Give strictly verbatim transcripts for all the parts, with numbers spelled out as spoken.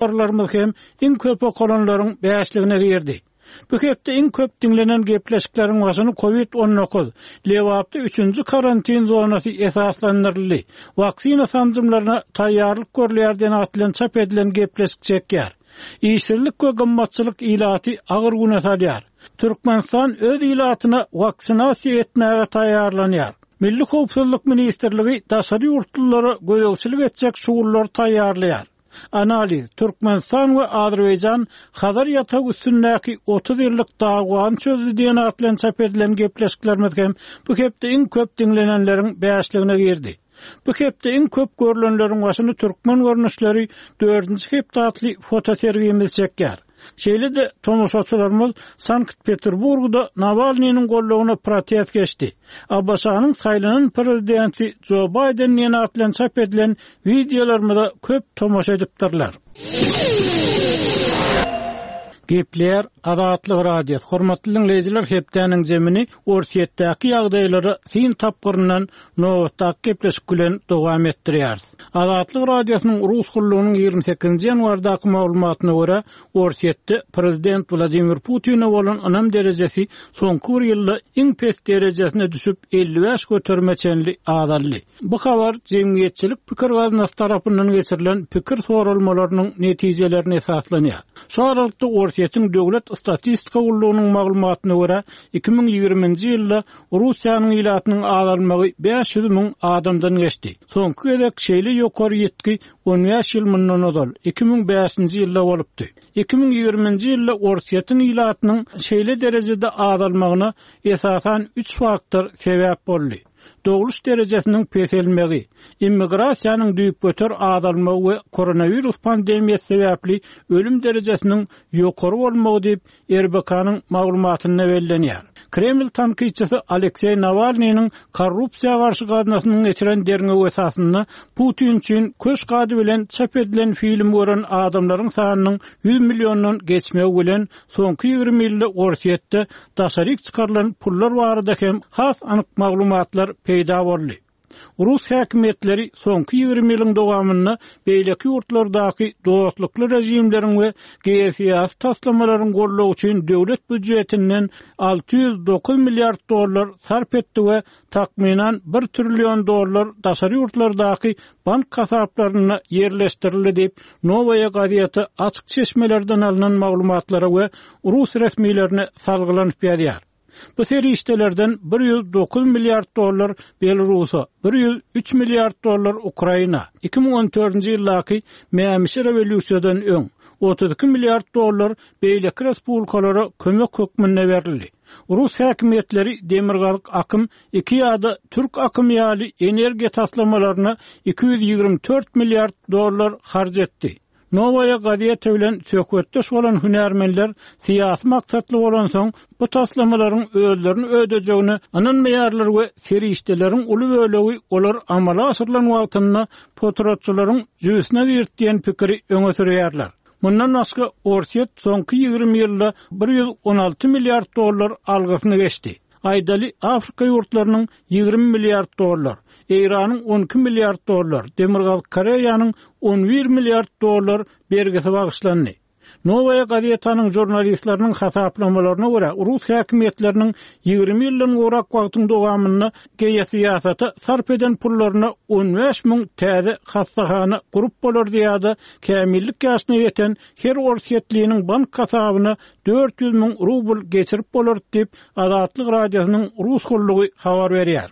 Habarlarymyz hem iň köp okalanlaryň bäşligine girdi. Bu hepde iň köp diňlenen gepleşikleriň başyny Covid on dokuz, Lebapda üçünji karantin zonasy esaslandyryldy. Waksina sanjymlaryna taýýarlyk görülýär diýen at bilen çap edilen gepleşik çekýär. Işsizlik we gymmatçylyk ilaty agyr güne salýar. Türkmenistan öz ilatyna waksinasiýa etmäge taýýarlanýar. Milli Howpsuzlyk ministrligi daşary ýurtlulara gözegçilik etjek şugullary taýýarlaýar. Analiz, Türkmenistan we Azerbaýjan Hazar ýatagy üstündäki otuz ýyllyk dawany çözdü diýen at bilen çap edilen gepleşiklerimiz hem bu hepde iň köp diňlenenleriň bäşligine girdi. Bu hepde iň köp görülenleriň başyny türkmen görnüşleri dördünji hepde atly fotosergimiz çekýär. Şeýle-de tomaşaçylarymyz Sankt-Peterburgda Nawalnynyň gollugyna protest geçdi. A B Ş-nyň saýlanan prezidenti Joe Biden diýen at bilen çap edilen wideolarymyza köp tomaşa edipdirler. Gepler Azatlyk Radiosy. Hormatly dinleýjiler, hepdäniň zemini Orsýetdäki ýagdaýlary sin tapgyryndan nobatdaky gepleşik bilen dowam etdirýäris. Azatlyk Radiosynyň Rus gullugynyň ýigrimi sekizinji ýanwardaky maglumatyna görä, Orsýetde prezident Wladimir Putine bolan ynam derejesi soňky bir ýylda iň pes derejesine düşüp elli bäş göterime çenli azaldy. Bu habar jemgyýetçilik pikir gaznasy tarapyndan geçirilen pikir soralmalarynyň netijelerine esaslanýar. Şu aralykda Orsýetiň döwlet statistika gullugynyň maglumatyna görä, iki müň ýigriminji ýylda Russiýanyň ilatynyň azalmagy bäş ýüz müň adamdan geçdi. Soňky gezek şeýle ýokary ýetki on bäş ýyl mundan ozal iki müň bäşinji ýylda bolupdy. Iki müň ýigriminji ýylda Orsýetiň ilatynyň şeýle derejede azalmagyna esasan üç faktor sebäp boldy. Dogluş derejesiniň peselmegi, immigrasiýanyň düýpgöter azalmagy we koronawirus pandemiýasy sebäpli ölüm derejesiniň ýokary bolmagy diýip R B K-nyň maglumatynda bellenýär. Kreml tankytçysy Alekseý Nawalnynyň korrupsiýa garşy gaznasynyň geçiren derňewi esasynda Putin üçin köşk ady bilen çap edilen film gören adamlaryň sanynyň ýüz milliondan geçmegi bilen soňky ýigrimi ýylda Orsýetde daşaryk çykarylan pullar barada hem has anyk maglumatlar peýda boldy. Rus häkimiýetleri soňky ýigrimi ýylyň dowamynda beýleki ýurtlardaky dostlukly režimleriň we geosyýasy taslamalaryň goldawy üçin döwlet býudjetinden alty ýüz dokuz milliard dollar sarp etdi we takmynan bir trillion dollar daşary ýurtlardaky bank hasaplaryna ýerleşdirildi diýip Nowaýa gazeti açyk çeşmelerden alynan maglumatlara we rus resmilerine salgylanyp ýazýar. Bu serişdelerden bir ýüz dokuz milliard dollar Belarusa, bir ýüz üç milliard dollar Ukraina, iki müň on dördünji ýyldaky Mämişi rewolýusiýadan öň otuz iki milliard dollar beýleki respublikalara kömek hökmünde berildi. Rus häkimiýetleri Demirgazyk akym iki ýa-da Türk akymy ýaly energiýa taslamalaryna iki ýüz ýigrimi dört milliard dollar harç etdi. Nowaýa gazeti bilen söhbetdeş bolan hünärmenler syýasy maksatly bolan soň bu taslamalaryň özlerini ödejegine ynanmaýarlar we serişdeleriň uly bölegi olar amala aşyrylan wagtynda potratçylaryň jübüsine girdi diýen pikiri öňe sürýärler. Mundan başga Orsýet soňky ýigrimi ýylda bir ýüz on alty milliard dollar algysyny geçdi. Aýdaly Afrika ýurtlarynyň ýigrimi milliard dollar, Eýranyň on iki milliard dollar, Demirgazyk Koreýanyň on bir milliard dollar bergisi bagyşlandy. Nowaýa gazetanyň žurnalistleriniň hasaplamalaryna görä, rus häkimiýetleriniň ýigrimi ýyldan gowrak wagtyň dowamynda geosyýasata sarp eden pullaryna on bäş müň täze hassahana gurup bolardy ýa-da kämillik ýaşyna ýeten her orsýetliniň bank hasabyna dört ýüz müň rubl geçirip bolardy diýip Azatlyk Radiosynyň rus gullugy habar berýär.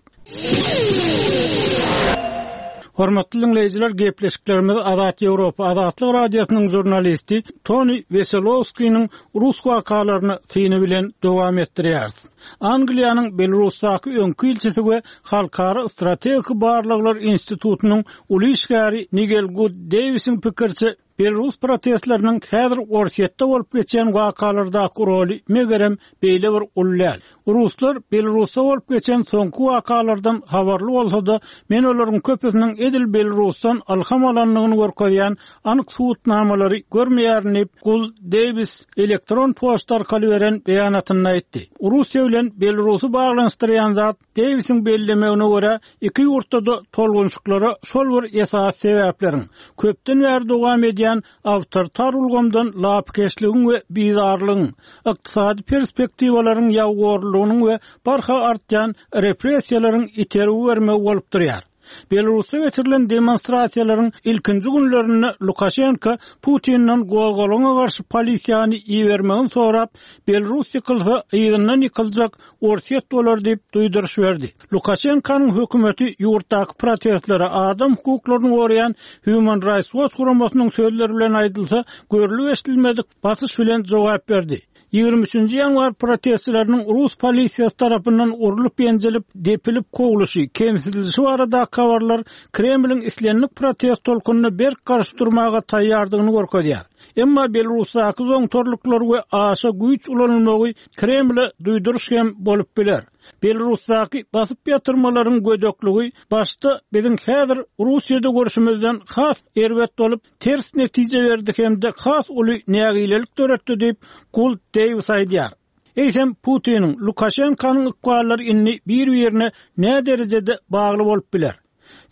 Hormatly dinleýjiler, gepleşiklerimiz Azat Ýewropa Azatlyk Radiosynyň žurnalisti Toni Weselowskiniň rus wakalaryny syny bilen dowam etdirýäris. Angliýanyň Belarusdaky öňki ilçisi we Halkara strategik barlaglar institutynyň uly işgäri Nigel Good Davisiň pikirçe Belarus protestleriniň häzir Orsýetde bolup geçen wakalardaky roly megerem beýle bir uly däl. Ruslar Belarusda bolup geçen soňky wakalardan habarly bolsa-da, men olaryň köpüsiniň edil Belarusdan ilham alandygyny görkezýän anyk subutnamalary görmeýärin diýip, Gul Davis elektron poçta arkaly beren beýanatynda aýtdy. Russiýa bilen Belarusy baglanyşdyrýan zat Davisiň bellemegine görä, iki ýurtda-da tolgunçyklara şol bir esas sebäpleriň köpden bäri dowam edýän gelýän awtoritar ulgamdan lapykeçligiň we bizarlygyň, ykdysady perspektiwalaryň ýabygorlugynyň we barha artýan repressiýalaryň itergi bermegi bolup durýar. Belarusda geçirilen demonstrasiýalaryň ilkinji günlerinde Lukaşenko Putinden gozgalaňa garşy polisiýany ibermegini sorap, Belarus ýykylsa, yzyndan ýykyljak Orsýet bolar diýip duýduryş berdi. Lukaşenkonyň hökümeti ýurtdaky protestlere adam hukuklaryny goraýan Human Rights Watch guramasynyň sözleri bilen aýdylsa, görlüp-eşidilmedik basyş bilen jogap berdi. Ýigrimi üçünji ýanwar protestçileriniň rus polisiýasy tarapyndan urlup-ýenjilip, depilip kowluşy, kemsidilişi baradaky habarlar Kremliň islendik protest tolkunyna berk garşy durmaga taýýardygyny görkezýär. Emma Belarusdaky zoňtarlyklar we aşa güýç ulanylmagy Kremle duýduryş hem bolup biler. Belarusdaky basyp ýatyrmalaryň gödekligi başda biziň häzir Russiýada görşümizden has erbet bolup, ters netije berdi hem-de has uly nägilelik döretdi diýip, Guld Deýwis aýdýar. Eýsem, Putiniň, Lukaşenkonyň ykballary indi bir-birine näderejede bagly bolup biler?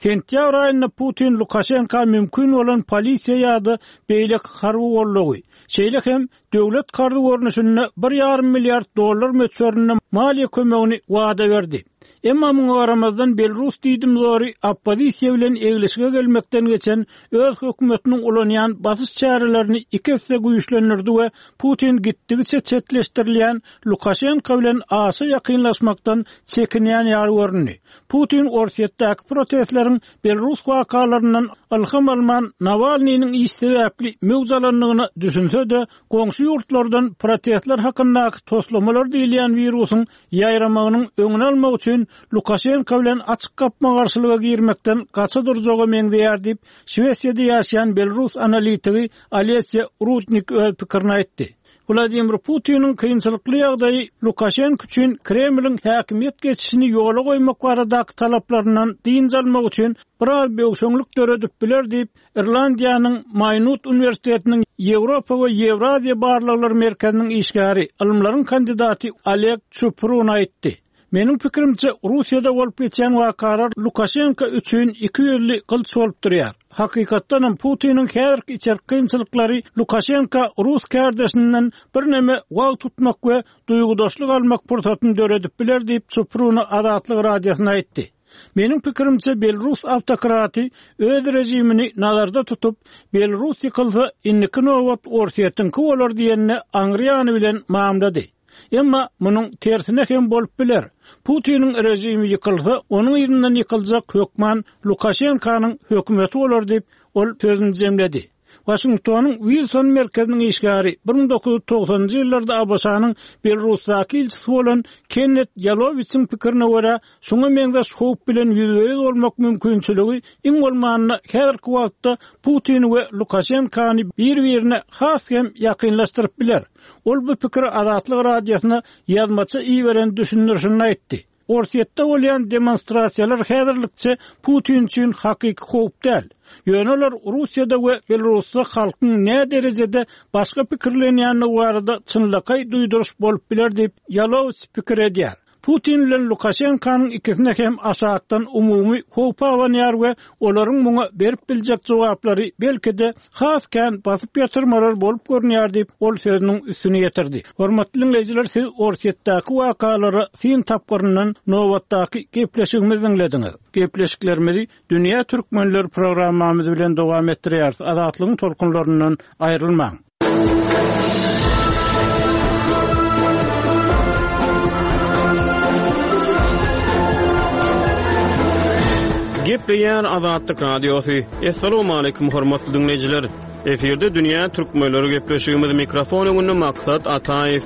Sentýabr aýynda Putin Lukaşenka mümkin bolan polisiýa ýa-da beýleki harby goldawy, şeýle hem döwlet karzy görnüşinde bir ýarym milliard dollar möçberinde maliýe kömegini wada berdi. Emma muňa garamazdan belarus diýdimzory oppozisiýa bilen eglişige gelmekden geçen öz hökümetiniň ulanýan basyş çärelerini iki esse güýçlendirdi we Putin gitdigiçe çetleşdirilýän Lukaşenko bilen aşa ýakynlaşmakdan çekinýän ýaly göründi. Putin Orsýetdäki protestleriň belarus wakalaryndan ylham alman Nawalnynyň iş sebäpli möwç alandygyna düşünse-de, goňşy ýurtlardan protestler hakyndaky toslamalar diýilýän wirusyň ýaýramagynyň öňüni almak üçin Lukaşenko bilen açyk gapma-garşylyga girmekden gaça durjaga meňzeýär diýip, Şwesiýada ýaşaýan belarus analitigi Olesýa Rudnik öz pikirini aýtdy. Wladimir Putiniň kynçylykly ýagdaýy Lukaşenko üçin Kremliň häkimiýet geçişini ýola goýmak baradaky talaplaryndan dynç almak üçin biraz böwşeňlik döredip biler diýip, Irlandiýanyň Maýnut uniwersitetiniň Ýewropa we Ýewraziýa barlaglary merkeziniň işgäri, ylymlaryň kandidaty Oleg Çuprun aýtdy. Meniň pikirimçe, Russiýada bolup geçýän wakalar Lukaşenko üçin iki ýüzli gylyç bolup durýar. Hakykatdanam, Putiniň häzirki içerki kynçylyklary Lukaşenko rus kärdeşinden birneme wagt tutmak we duýgudaşlyk almak pursatyny döredip biler diýip, Çupruna Azatlyk Radiosyna aýtdy. Meniň pikirimçe, belarus awtokraty öz režimini nazarda tutup, Belarus ýykylsa, indiki nobat Orsýetiňki bolar diýenine aňry ýany bilen mamlady. Emma munuň tersine hem bolup biler. Putiniň režimi ýykylsa, onuň yzyndan ýykyljak hökman Lukaşenkonyň hökümeti bolar diýip, ol sözüni jemledi. Waşingtonyň Wilson merkeziniň işgäri, bir müň dokuz ýüz togsanynjy ýyllarda ABŞ-nyň Belarusdaky ilçisi bolan Kennet Ýalowiçiň pikirine görä, şuňa meňzeş howp bilen ýüzbe-ýüz bolmak mümkinçiligi iň bolmanda häzirki wagtda Putini we Lukaşenkony bir-birine has hem ýakynlaşdyryp biler. Ol bu pikiri Azatlyk Radiosyna ýazmaça iberen düşündirişinde aýtdy. Orsýetde bolýan demonstrasiýalar häzirlikçe Putin üçin hakyky howp däl. Ýöne olar Russiýada we Belarusda halkyň näderejede başga pikirlenýändigi barada çynlakaý duýduryş bolup biler diýip, Ýalowiç pikir edýär. Putin bilen Lukaşenkonyň ikisine hem aşakdan umumy howp abanýar we olaryň muňa berip biljek jogaplary belki-de has kän basyp ýatyrmalar bolup görünýär diýip, ol sözüniň üstüni ýetirdi. Hormatly diňleýjiler, siz Orsýetdäki wakalara syn tapgyryndan nobatdaky gepleşigimizi diňlediňiz. Gepleşiklerimizi Dünýä Türkmenleri programmamyz bilen dowam etdirýäris. Azatlygyň tolkunlaryndan aýrylmaň. Gepleýär Azatlyk Radiosy. Assalamualaikum hormatly dinleýjiler. Efirde Dünýä Türkmenleri gepleşigimiz mikrofon öňünde Maksat Ataýew.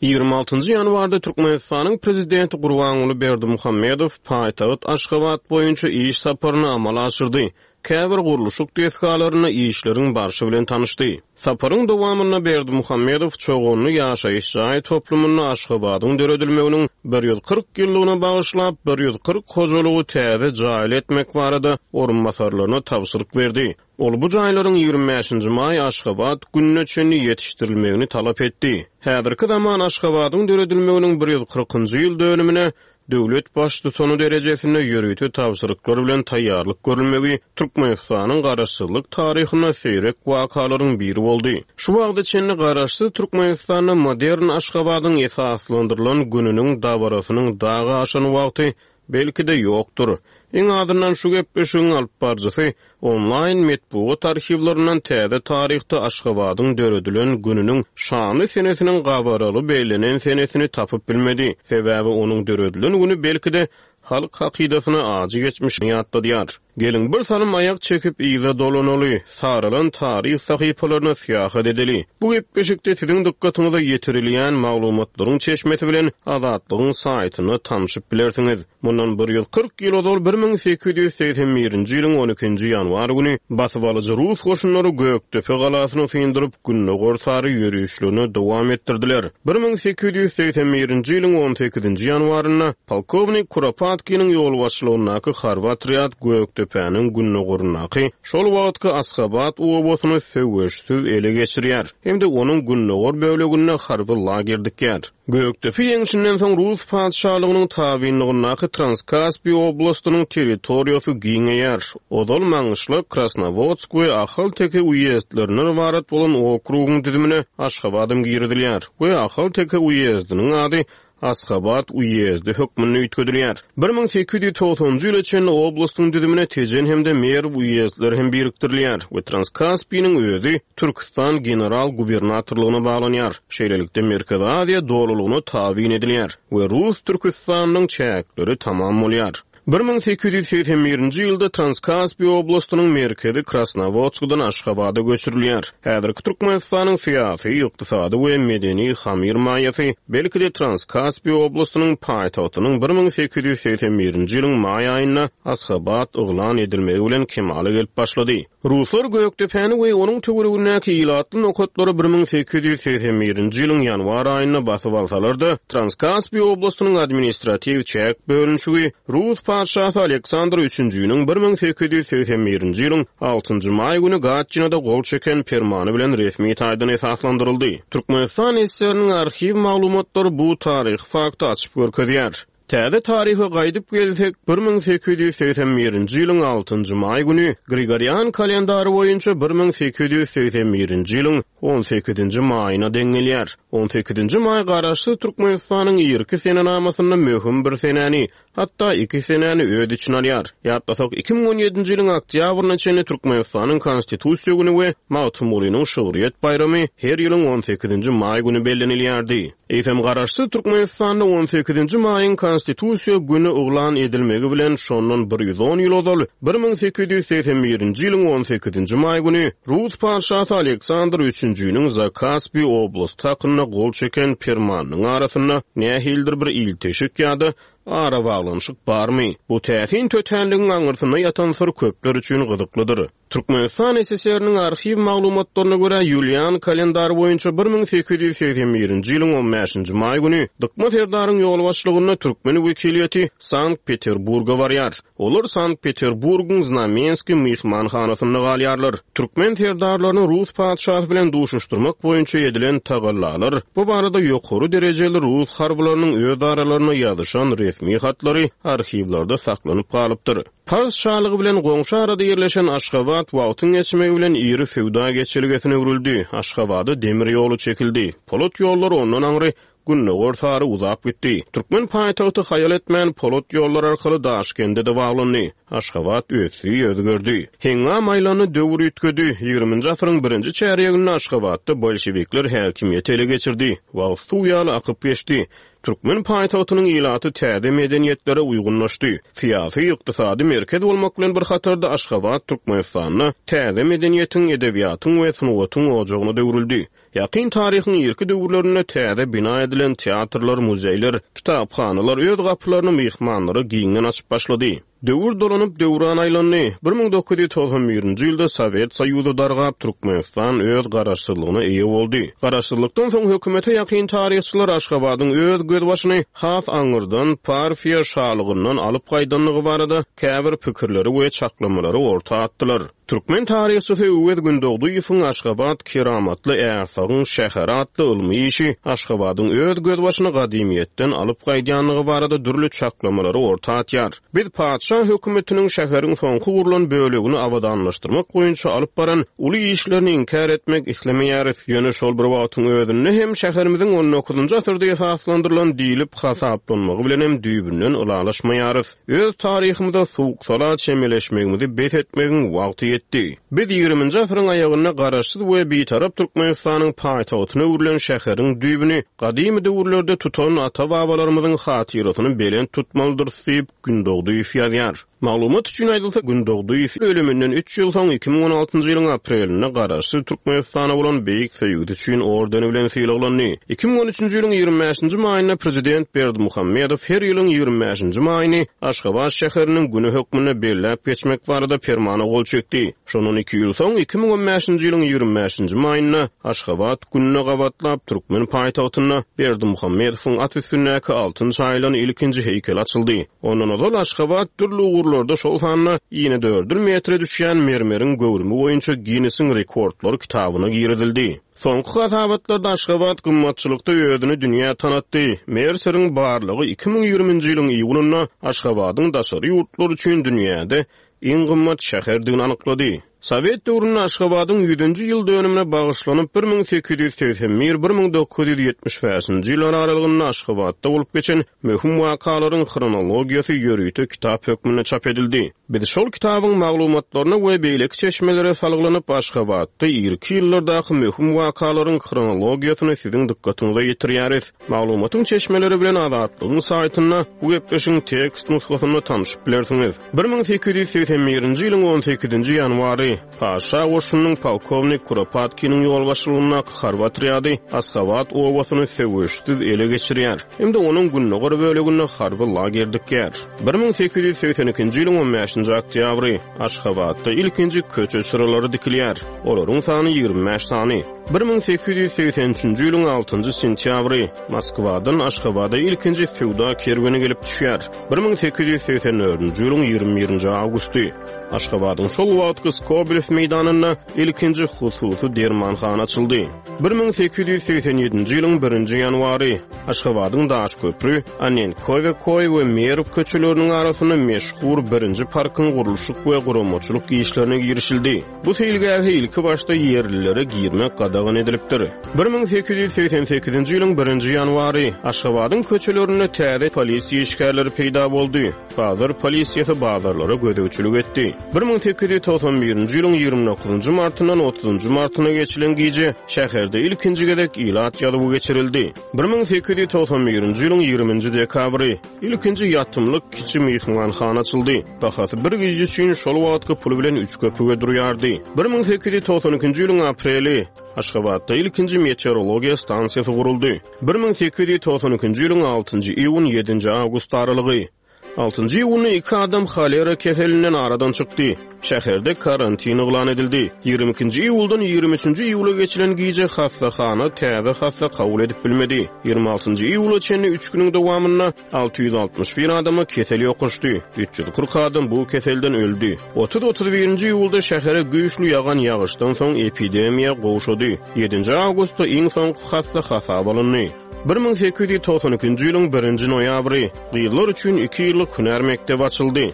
Ýigrimi altynjy ýanwarda Türkmenistanyň Prezidenti Gurbanguly Berdimuhamedow paýtagt Aşgabat boýunça iş saparyny amala aşyrdy. käbir gurluşyk desgalarynda işleriň barşy bilen tanyşdy. Saparyň dowamynda Berdimuhamedow Çoganly ýaşaýyş jaý toplumynda Aşgabadyň döredilmeginiň bir ýüz kyrk ýyllygyna bagyşlap, bir ýüz kyrk hojalygy täze jaýly etmek barada orunbasarlaryna tabşyryk berdi. Ol bu jaýlaryň ýigrimi bäşinji maý Aşgabat gününe çenli ýetişdirilmegini talap etdi. Häzirki zaman Aşgabadyň döredilmeginiň bir ýüz kyrkynjy ýyl dönümine döwlet baştutany derejesinde ýörite tabşyryklar bilen taýýarlyk görülmegi Türkmenistanyň garaşsyzlyk taryhynda seýrek wakalaryň biri boldy. Şu wagta çenli garaşsyz Türkmenistanda modern Aşgabadyň esaslandyrylan gününiň dabarasynyň dagy aşan wagty belki-de ýokdur. Iň azyndan şu gepleşigiň alyp baryjysy onlaýn metbugat arhiwlerinden täze taryhda Aşgabadyň döredilen gününiň şanly senesiniň gabaraly bellenen senesini tapyp bilmedi. Sebäbi onuň döredilen günü belki-de halk hakydasyna ajy geçmişini ýatladýar. Geliň bir salym aýak çekip yza dolanaly, saralan taryh sahypalaryna syýahat edeli. Bu gepleşikde siziň dykgatyňyza ýetirilýän maglumatlaryň çeşmesi bilen Azatlygyň saýtynda tanışyp bilersiňiz. Mundan bir ýüz kyrk ýyl ozal bir müň sekiz ýüz segsen birinji ýylyň on ikinji ýanwar güni basybalyjy Rus goşunlary Gökdepe galasyny syndyryp, Gündogar sary ýörüşlerini dowam etdirdiler. bir müň sekiz ýüz segsen birinji ýylyň on sekizinji ýanwarynda polkownik Kuropatkiniň ýolbaşçylygyndaky harby otrýad Gökdepäniň gündogaryndaky şol wagtky Asgabat obasyny söweşsiz ele geçirýär hem-de onuň gündogar böleginde harby lager dikýär. Gökdepe ýeňşinden soň Rus patyşalygynyň tabynlygyndaky Transkaspi oblastynyň territoriýasy giňeýär. Ozal Maňgyşlak, Krasnowodsk we Ahalteke uýezdlerinden ybarat bolan okrugyň düzümine Aşgabadam girizilýär we Ahalteke uýezdiniň ady Asgabat uýezdi hökmünde üýtgedilýär. bir müň sekiz ýüz togsanjy ýyla çenli oblastyň düzümine Tejen hem-de Merw uýezdleri hem birikdirilýär we Transkaspiniň özi Türkistan general gubernatorlygyna baglanýar. Şeýlelikde Merkezi Aziýa dolulygyna tabyn edilýär we Rus Türkistanyň çäkleri tamam bolýar. bir müň sekiz ýüz segsen birinji ýylda Transkaspi oblastynyň merkezi Krasnowodskdan Aşgabada göçürilýär. Häzirki Türkmenistanyň syýasy, ykdysady we medeni hamir maýasy belki-de Transkaspi oblastynyň paýtagtynyň bir müň sekiz ýüz segsen birinji ýylyň maý aýynda Asgabat yglan edilmegi bilen kemala gelip başlady. Ruslar Gökdepäni we onuň töweregindäki ilatly nokatlary bir müň sekiz ýüz segsen birinji ýylyň ýanwar aýynda basyp alsalar-da, Transkaspi oblastynyň administratiw çäk bölünişigi Rus patyşasy Aleksandr üçünjiniň bir müň sekiz ýüz segsen birinji ýylyň altynjy maý güni Gatçinada gol çeken permany bilen resmi taýdan esaslandyryldy. Türkmenistan S S R-niň arhiw maglumatlary bu taryhy fakty açyp görkezýär. Täze taryha gaýdyp gelsek, bir müň sekiz ýüz segsen birinji ýylyň altynjy maý güni Grigorian kalendary boýunça bir müň sekiz ýüz segsen birinji ýylyň on sekizinji maýyna deň gelýär. on sekizinji maý garaşsyz Türkmenistanyň irki senenamasynda möhüm bir senäni, hatda iki senäni öz içine alýar. Ýatlasak, iki müň on ýedinji ýylyň oktýabryna çenli Türkmenistanyň Konstitusiýa güni we Magtymgulynyň şygryýet baýramy her ýylyň on sekizinji maý güni bellenilýärdi. Eýsem garaşsyz Türkmenistanda on sekizinji maýyň Konstitusiýa güni yglan edilmegi bilen şondan bir ýüz on ýyl ozal bir müň sekiz ýüz segsen birinji ýylyň on sekizinji maý güni Rus patyşasy Aleksandr üçünjiniň Zakaspi oblasty hakynda gol çeken permanynyň arasynda nähilidir bir ilteşik ýa-da ara baglanyşyk barmy? Bu täsin tötänligiň aňyrsynda ýatan syr köpler üçin gyzyklydyr. Türkmenistan S S R-niň arhiw maglumatlaryna görä Ýulian kalendary boýunça bir müň sekiz ýüz segsen birinji ýylyň on bäşinji maý güni Dykma Serdaryň ýolbaşçylygynda türkmen wekiliýeti Sankt-Peterburga barýar. Olar Sankt-Peterburgyň Znamenskiý myhmanhanasynda galýarlar. Türkmen serdarlaryny Rus patyşasy bilen duşuşdyrmak boýunça edilen tagallalar bu barada ýokary derejeli Rus harbylarynyň öz aralarynda ýazyşan resmi hatlary arhiwlerde saklanyp galypdyr. Pars şalygy bilen goňşy arada ýerleşen Aşgabat wagtyň geçmegi bilen iri söwda geçelgesine öwrüldi. Aşgabada demir ýoly çekildi. Polat ýollary ondan aňry Gündogar sary uzap gitdi. Türkmen paýtagty haýal etmän polat ýollar arkaly Daşkende-de baglandy. Aşgabat ösdi, özgerdi. Heňňam aýlany döwür üýtgedi. Ýigriminji asyryň birinji çärýeginde Aşgabatda bolşevikler häkimiýeti ele geçirdi. Wagt suw ýaly akyp geçdi. Türkmen paýtagtynyň ilaty täze medeniýetlere uýgunlaşdy. Syýasy, ykdysady merkez bolmak bilen bir hatarda Aşgabat Türkmenistanda täze medeniýetiň, edebiýatyň we sungatyň ojagyna döwrüldi. Ýakyn taryhyň irki döwürlerinde täze bina edilen teatrlar, muzeýler, kitaphanalar öz gapylaryny myhmanlara giňden açyp başlady. Döwür dolanyp döwran aýlandy. bir müň dokuz ýüz togsan birinji ýylda Sowet Soýuzy dargap, Türkmenistan öz garaşsyzlygyna eýe boldy. Garaşsyzlykdan soň hökümete ýakyn taryhçylar Aşgabadyň öz gözbaşyny has aňyrdan Parfiýa şalygyndan alyp gaýdanlygy barada käbir pikirleri we çaklamalary orta atdylar. Türkmen taryhçysy Öwez Gündogdyýewiň Aşgabat keramatly Ärsagyň şäheri atly ylmy işi Aşgabadyň öz gözbaşyny gadymyýetden alyp gaýdýanlygy barada dürli çaklamalary orta atýar. Biz patyşa hökümetiniň şäheriň soňky gurlan bölegini abadanlaşdyrmak boýunça alyp baran uly işlerini inkär etmek islemeýäris. Ýöne şol bir wagtyň özünde hem şäherimiziň on dokuzynjy asyrda esaslandyrylan diýlip hasaplanmagy bilen hem düýbünden ylalaşmaýarys. Öz taryhymyza soğuk-sala çemeleşmegimizi bes etmegiň wagty ýetdi. Biz ýigriminji asyryň aýagynda garaşsyz we bitarap Türkmenistanyň paýtagtyna öwrülen şäheriň düýbüni gadymy döwürlerde tutan ata-babalarymyzyň hatyrasyny belent tutmalydyrys diýip Gündogdyýew ýazýar. Maglumat üçin aýdylsa, Gündogdyýew ölüminden üç ýyl soň iki müň on altynjy ýylyň aprelinde garaşsyz Türkmenistana bolan beýik söýgüsi üçin ordeni bilen sylaglandy. iki müň on üçünji ýylyň ýigrimi bäşinji maýynda prezident Berdimuhamedow her ýylyň ýigrimi bäşinji maýyny Aşgabat şäheriniň günü hökmünde belläp geçmek barada permana gol çekdi. Şondan iki ýyl soň iki müň on bäşinji ýylyň ýigrimi bäşinji maýynda Aşgabat gününe gabatlap Türkmen paýtagtynda Berdimuhamedowyň at üstündäki altyn çaýylan ilkinji heýkel açyldy. Ondan ozal Aşgabat dürli ugurlarda şol sanda ýene dördül metre düşýän mermeriň göwrümi boýunça Guinnessiň rekordlar kitabyna girizildi. Soňky hasabatlarda Aşgabat gymmatçylykda özüni dünýä tanatdy. Merceriň barlygy iki müň ýigriminji ýylyň iýunynda Aşgabadyň daşary ýurtlar üçin dünýäde iň gymmat şäherdigini anyklady. Sowet döwründe Aşgabadyň ýüzünji ýyl dönümine bagyşlanyp bir müň sekiz ýüz segsen bir, bir müň dokuz ýüz ýetmiş bäşinji ýyllar aralygynda Aşgabatda bolup geçen möhüm wakalaryň hronologiýasy ýörite kitap hökmünde çap edildi. Biz şol kitabyň maglumatlaryna we beýleki çeşmelere salgylanyp Aşgabatda irki ýyllardaky möhüm wakalaryň hronologiýasyny siziň dykgatyňyza ýetirýäris. Maglumatyň çeşmeleri bilen Azatlygyň saýtynda bu gepleşiň tekst nusgasynda tanışyp bilersiňiz. bir müň sekiz ýüz segsen birinji ýylyň on sekizinji ýanwary Paşa goşunynyň polkownik Kuropatkiniň ýolbaşçylygyndaky harby otrýady Aşgabat obasyny söweşsiz ele geçirýär. Hem-de onuň gündogar böleginde harby lager dikýär. bir müň sekiz ýüz segsen ikinji ýylyň on bäşinji oktýabry Aşgabatda ilkinji köçe çyralary dikilýär. Olaryň sany ýigrimi bäş sany. bir müň sekiz ýüz segsen üçünji ýylyň altynjy sentýabry Moskwadan Aşgabada ilkinji söwda kerweni gelip düşýär. bir müň sekiz ýüz segsen dördünji ýylyň ýigrimi birinji awgusty Aşgabadyň şol wagtky Skobelew meýdanynda ilkinji hususy dermanhana açyldy. bir müň sekiz ýüz segsen ýedinji ýylyň birinji ýanwary Aşgabadyň Daşköprü, Annenkowe-Koý we Merw köçeleriniň arasynda meşhur birinji parkyň gurluşyk we guramaçylyk işlerine girişildi. Bu seýilgähe ilki başda ýerlilere girmek gadagan edilipdir. bir müň sekiz ýüz segsen sekizinji ýylyň birinji ýanwary Aşgabadyň köçelerinde täze polisiýa işgärleri peýda boldy. Bazar polisiýasy bazarlara gözegçilik etdi. bir müň sekiz ýüz togsan birinji ýylyň ýigrimi dokuzynjy martyndan otuzynjy martyna geçilen gije şäherde ilkinji gezek ilat ýazuwy geçirildi. bir müň sekiz ýüz togsan birinji ýylyň ýigriminji dekabry ilkinji ýatymlyk kiçi myhmanhana açyldy. Bahasy bir gije üçin şol wagtky pul bilen üç köpüge durýardy. bir müň sekiz ýüz togsan ikinji ýylyň apreli Aşgabatda ilkinji meteorologiýa stansiýasy guruldy. bir müň sekiz ýüz togsan ikinji ýylyň altynjy iýun ýedinji awgust aralygy Altynjy iýunda iki adam holera keselinden aradan çykdy. Şäherde karantin yglan edildi. Ýigrimi ikinji iýuldan ýigrimi üçünji iýula geçilen gije hassahana täze hassa kabul edip bilmedi. Ýigrimi altynjy iýula çenli üç günüň dowamynda alty ýüz altmyş bir adama kesel ýokuşdy. Üç ýüz kyrk adam bu keselden öldi. Otuz otuz birinji iýulda şähere güýçli ýagan ýagyşdan soň epidemiýa gowşady. Ýedinji awgustda iň soňky hassa hasap alyndy. bir müň sekiz ýüz togsan ikinji ýylyň birinji noýabry gyzlar üçin iki ýyllyk hünär mekdebi açyldy.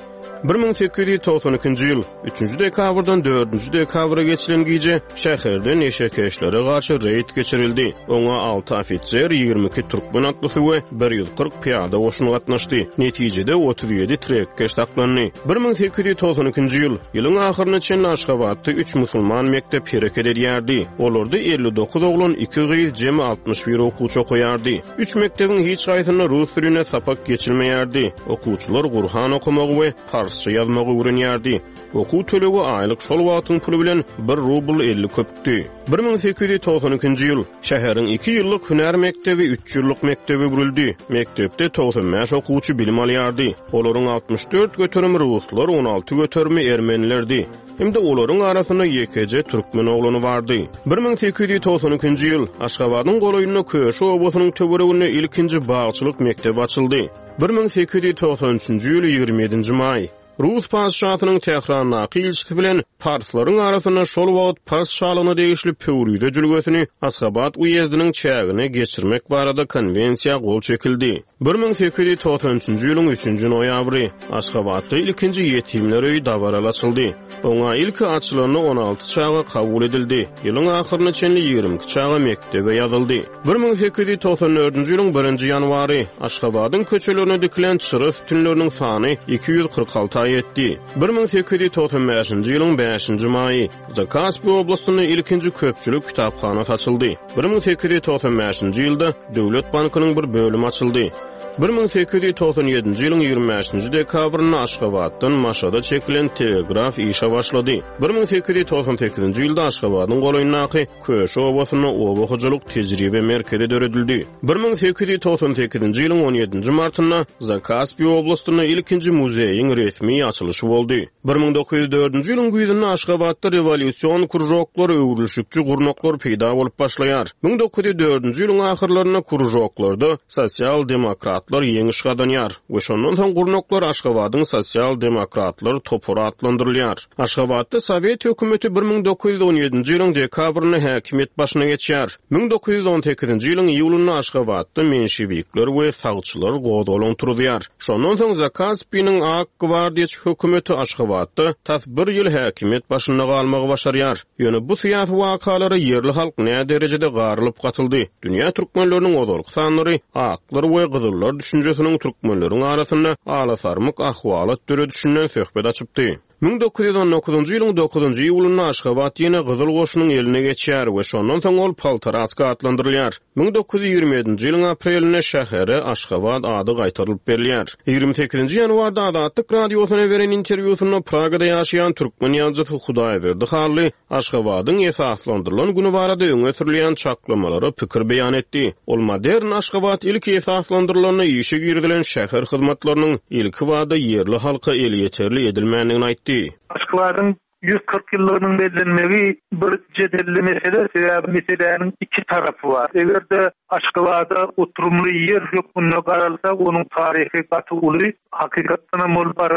bir müň sekiz ýüz togsan ikinji ýyl üçünji dekabrdan dördünji dekabra geçilen gije şäherde neşekeşlere garşy reýd geçirildi. Oňa alty ofiser, ýigrimi iki türkmen atlysy we bir ýüz kyrk pyýada goşuny gatnaşdy. Netijede otuz ýedi trekkeş saklandy. bir müň sekiz ýüz togsan ikinji ýyl ýylyň ahyryna çenli Aşgabatda üç musulman mekdep hereket edýärdi. Olarda elli dokuz oglan, iki gyz, jemi altmyş bir okuwçy okaýardy. Üç mekdebiň hiç haýsynda rus diline sapak geçirmeýärdi. Okuwçylar Gurhan okamagy we parsça ýazmagy öwrenýärdi. Okuw tölegi aýlyk şol wagtyň puly bilen bir rubl elli köpükdi. Bir müň sekiz ýüz togsan ikinji ýyl. Şäheriň iki ýyllyk hünär mekdebi üç ýyllyk mekdebe öwrüldi. Mekdepde togsan bäş okuwçy bilim alýardy. Olaryň altmyş dört göterimi ruslar, on alty göterimi ermenilerdi. Hem-de olaryň arasynda ýekeje türkmen oglany bardy. Bir müň sekiz ýüz togsan ikinji ýyl. Aşgabadyň golaýynda Köşi obasynyň töwereginde ilkinji bagçylyk mekdebi açyldy. Bir müň sekiz ýüz togsan üçünji ýyl ýigrimi ýedinji maý. Rus patyşasynyň Tährandaky ilçisi bilen parslaryň arasynda şol wagt Pars şalygyna degişli Pöwrize jülgesini Aşgabat uýezdiniň çägine geçirmek barada konwensiýa gol çekildi. Bir müň sekiz ýüz togsan üçünji ýylyň üçünji noýabry Aşgabatda ilkinji ýetimler öýi dabaraly açyldy. Oňa ilki açylanda on alty çaga kabul edildi. Ýylyň ahyryna çenli ýigrimi iki çaga mekdebe ýazyldy. Bir müň sekiz ýüz togsan dördünji ýylyň birinji ýanwary Aşgabadyň köçelerine dikilen çyra sütünleriniň sany iki ýüz kyrk alta ýetdi. Bir müň sekiz ýüz togsan bäşinji ýylyň bäşinji maýy Zakaspi oblastynda ilkinji köpçülik kitaphanasy açyldy. Bir müň sekiz ýüz togsan bäşinji ýylda Döwlet bankynyň bir bölümi açyldy. Bir müň sekiz ýüz togsan ýedinji ýylyň ýigrimi bäşinji dekabrynda Aşgabatdan Maşada çekilen telegraf işe başlady. Bir müň sekiz ýüz togsan sekizinji ýylda Aşgabadyň golaýyndaky Köşi obasynda oba hojalyk tejribe merkezi döredildi. Bir müň sekiz ýüz togsan sekizinji ýylyň on ýedinji martynda Zakaspi oblastynda ilkinji muzeýiň resmi açylyşy boldy. Bir müň dokuz ýüz dördünji ýylyň güýzünde Aşgabatda rewolýusion kružoklar, öwrülişikçi gurnaklar peýda bolup başlaýar. Müň dokuz ýüz dördünji ýylyň ahyrlarynda kružoklarda sosial-demokratlar ýeňiş gazanýar we şondan soň gurnaklar Aşgabadyň sosial-demokratlar topary atlandyrylýar. Aşgabatda Sowet hökümeti bir müň dokuz ýüz on ýedinji ýylyň dekabrynda häkimiýet başyna geçýär. Müň dokuz ýüz on sekizinji ýylyň iýulynda Aşgabatda menşewikler we sagçylar gozgalaň turuzýar. Şondan soň Zakaspiniň Ak gwardiýaçy hökümeti Aşgabatda tas bir ýyl häkimiýet başynda galmagy başarýar. Ýöne bu syýasy wakalara ýerli halk nä derejede garylyp gatyldy? Dünýä türkmenleriniň ozalky sanlary aklar we gyzyllar düşünjesiniň türkmenleriň arasynda alasarmyk ahwalat döredişinden söhbet açypdy. Müň dokuz ýüz on dokuzynjy ýylyň dokuzynjy iýulynda Aşgabat ýene Gyzyl goşunyň eline geçýär we şondan soň ol Paltaratsk atlandyrylýar. Müň dokuz ýüz ýigrimi ýedinji ýylyň aprelinde şähere Aşgabat ady gaýtarylyp berilýär. Ýigrimi sekizinji ýanwarda Azatlyk radiosyna beren interwýusynda Pragada ýaşaýan türkmen ýazyjysy Hudaýberdi Hally Aşgabadyň esaslandyrylan güni barada öňe sürülýän çaklamalara pikir beýan etdi. Ol modern Aşgabat ilki esaslandyrylanda işe girizilen şäher hyzmatlarynyň ilki bada ýerli halka elýeterli edilmändigini aýtdy. Aşgabadyň ýüz kyrk ýyllygynyň bellenmegi bir jedelli mesele, sebäbi meseläniň iki tarapy bar. Eger-de Aşgabada oturymly ýer hökmünde garalsa, onuň taryhy gaty uly, hakykatdan hem ol bar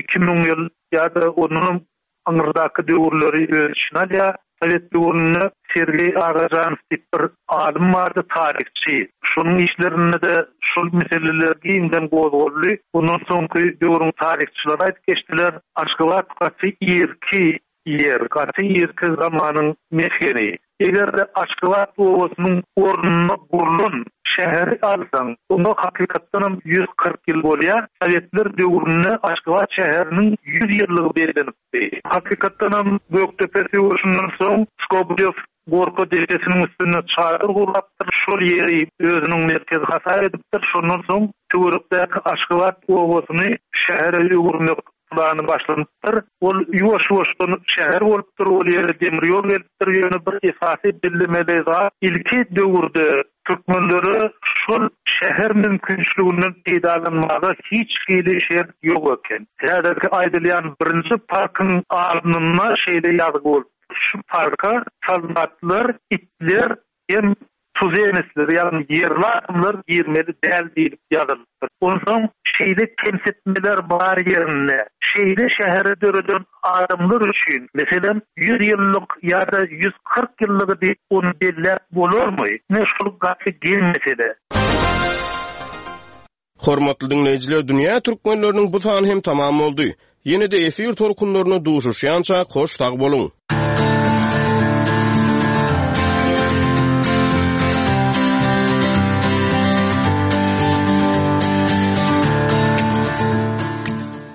iki müň ýyl ýa-da ondan aňyrdaky döwürleri öz içine alýar. Sowet döwründe Sergeý Agajanow diýip bir alym bardy, taryhçy. Şonuň işlerinde de şol meseleler giňden gozgaldy. Ondan soňky döwrüň taryhçylary aýdyp geçdiler. Aşgabat gaty irki ýer, gaty irki zamanyň mesgeni. Eger-de Aşgabat obasynyň ornuna gurlan şäheri alsaň, onda hakykatdan hem ýüz kyrk ýyl bolýar. Sowetler döwründe Aşgabat şäheriniň ýüz ýyllygy bellenipdi. Hakykatdan hem Gökdepe söweşinden soň Skobelew Gorka depesiniň üstünde çadyr gurapdyr, şol ýeri özüniň merkezi hasap edipdir. Şondan soň töwerekdäki Aşgabat obasyny şähere öwürmek plany başlanypdyr. Ol ýuwaş-ýuwaşdan şäher bolupdyr, ol ýere demir ýol gelipdir. Ýöne bir esasy bellemeli zat, ilki döwürde türkmenlere şol şäher mümkinçiliginden peýdalanmaga hiç hili şert ýok eken. Häzirki aýdylýan birinji parkyň alnynda şeýle ýazgy bolupdyr. Şu parka soldatlar, itler hem tuzemesler, ýagny ýerli adamlar girmeli däl diýilip ýazylypdyr. Onsoň şeýle kemsitmeler bar ýerinde, şeýle şähere döreden adamlar üçin, meselem, ýüz ýyllyk ýa-da ýüz kyrk ýyllygy diýip ony belläp bolarmy? Ne şol gaty geň mesele. Hormatly dinleýjiler, dünýä türkmenleriniň bu sany hem tamam boldy. Ýene-de efir tolkunlaryna duşuşýança hoş sag boluň.